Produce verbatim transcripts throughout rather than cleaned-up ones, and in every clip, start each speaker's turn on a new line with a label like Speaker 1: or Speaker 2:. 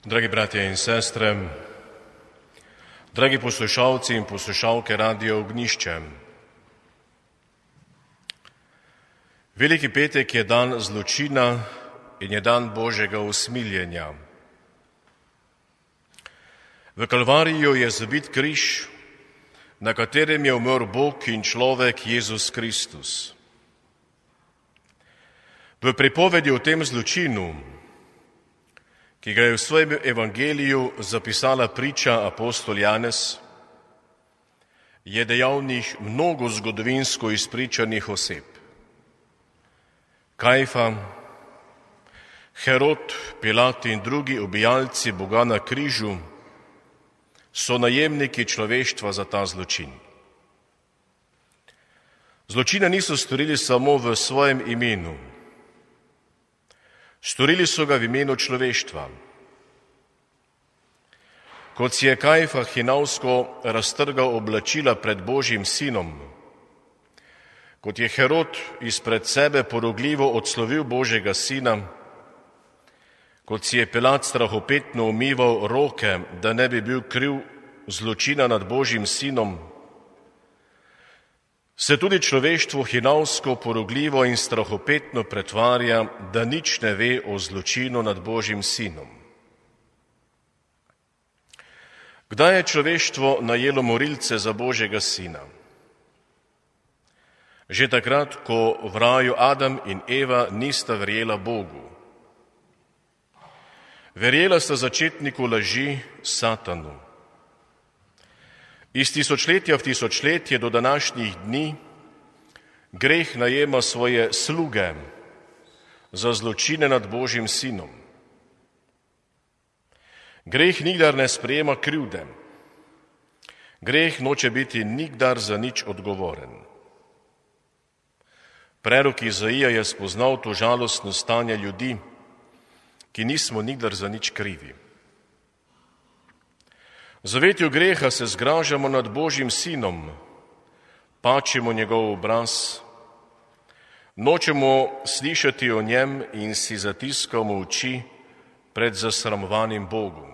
Speaker 1: Dragi bratje in sestre, dragi poslušalci in poslušalke Radia Ognjišče. Veliki petek je dan zločina in je dan Božjega usmiljenja. V Kalvariju je zabit križ, na katerem je umrl Bog in človek Jezus Kristus. V pripovedi o tem zločinu, ki ga je v svojem evangeliju zapisala priča apostol Janez, je dejavnih mnogo zgodovinsko izpričanih oseb. Kajfa, Herod, Pilat in drugi ubijalci Boga na križu so najemniki človeštva za ta zločin. Zločina niso storili samo v svojem imenu. Storili so ga v imenu človeštva. Kot si je Kajfa hinavsko raztrgal oblačila pred Božjim sinom, kot je Herod izpred sebe porogljivo odslovil Božjega sina, kot si je Pilat strahopetno umival roke, da ne bi bil kriv zločina nad Božjim sinom, se tudi človeštvo hinavsko, porogljivo in strahopetno pretvarja, da nič ne ve o zločinu nad Božjim sinom. Kdaj je človeštvo najelo morilce za Božjega sina? Že takrat, ko v raju Adam in Eva nista verjela Bogu. Verjela sta začetniku laži, Satanu. Iz tisočletja v tisočletje do današnjih dni greh najema svoje sluge za zločine nad Božjim sinom. Greh nikdar ne sprejema krivde. Greh noče biti nikdar za nič odgovoren. Prerok Izaija je spoznal to žalostno stanje ljudi, ki nismo nikdar za nič krivi. V zavetju greha se zgražamo nad Božjim sinom, pačimo njegov obraz, nočemo slišati o njem in si zatiskamo oči pred zasramovanim Bogom.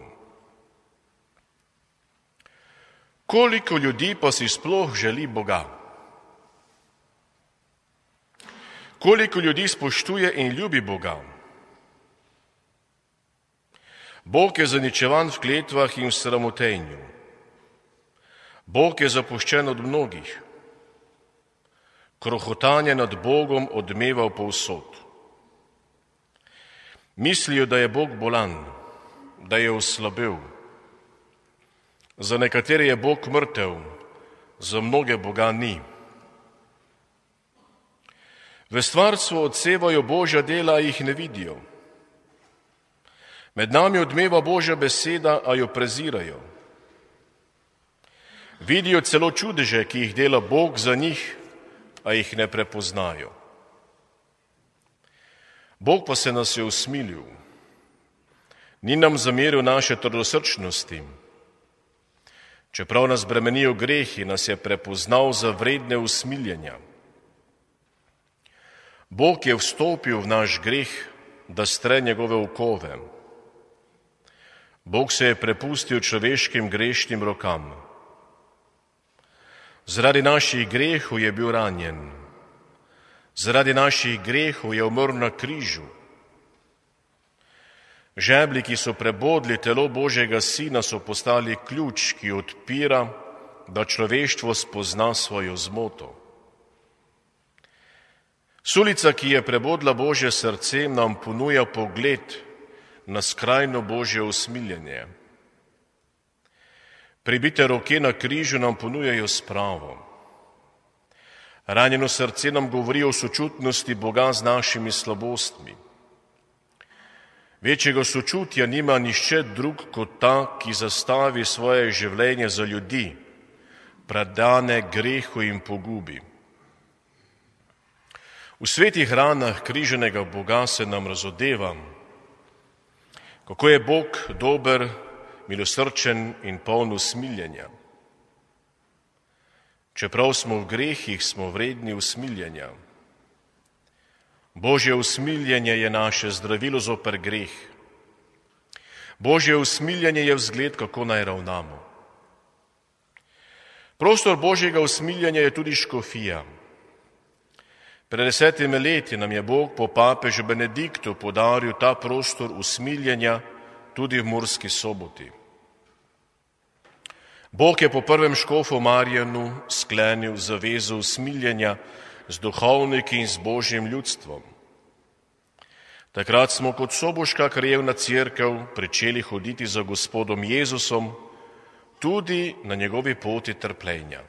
Speaker 1: Koliko ljudi pa si sploh želi Boga? Koliko ljudi spoštuje in ljubi Boga? Bog je zaničevan v kletvah in v sramotenju. Bog je zapuščen od mnogih. Krohotanje nad Bogom odmeva povsod. Mislijo, da je Bog bolan, da je oslabel. Za nekatere je Bog mrtev, za mnoge Boga ni. V stvarstvu odsevajo Božja dela, a jih ne vidijo. Med nami odmeva Božja beseda, a jo prezirajo. Vidijo celo čudeže, ki jih dela Bog za njih, a jih ne prepoznajo. Bog pa se nas je usmilil. Ni nam zameril naše trdosrčnosti. Čeprav nas bremenijo grehi, nas je prepoznal za vredne usmiljenja. Bog je vstopil v naš greh, da stre njegove okove. Bog se je prepustil človeškim grešnim rokam. Zaradi naših grehov je bil ranjen. Zaradi naših grehov je umrl na križu. Žeblji, ki so prebodli telo Božjega sina, so postali ključ, ki odpira, da človeštvo spozna svojo zmoto. Sulica, ki je prebodla Božje srce, nam ponuja pogled na skrajno Božje usmiljenje. Pribite roke na križu nam ponujajo spravo. Ranjeno srce nam govori o sočutnosti Boga z našimi slabostmi. Večjega sočutja nima nihče drug kot ta, ki zastavi svoje življenje za ljudi, predane grehu in pogubi. V svetih ranah križanega Boga se nam razodeva, kako je Bog dober, milosrčen in poln usmiljenja. Čeprav smo v grehih, smo vredni usmiljenja. Božje usmiljenje je naše zdravilo zoper greh. Božje usmiljenje je vzgled, kako naj ravnamo. Prostor Božjega usmiljenja je tudi škofija. Pred desetimi leti nam je Bog po papežu Benediktu podaril ta prostor usmiljenja tudi v Murski Soboti. Bog je po prvem škofu Marjanu sklenil zavezo usmiljenja z duhovniki in z Božjim ljudstvom. Takrat smo kot soboška krajevna cerkev pričeli hoditi za Gospodom Jezusom tudi na njegovi poti trpljenja.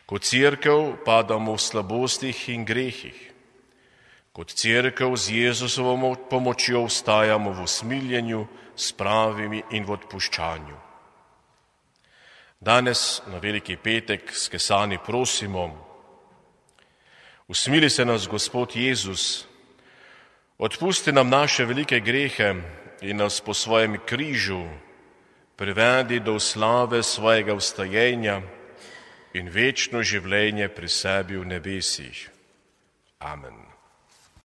Speaker 1: Kot cerkev padamo v slabostih in grehih. Kot cerkev z Jezusovo pomočjo vstajamo v usmiljenju, spravi in v odpuščanju. Danes na Veliki petek s kesani prosimo: usmili se nas, Gospod Jezus, odpusti nam naše velike grehe in nas po svojem križu privedi do slave svojega vstajenja in večno življenje pri sebi v nebesih. Amen.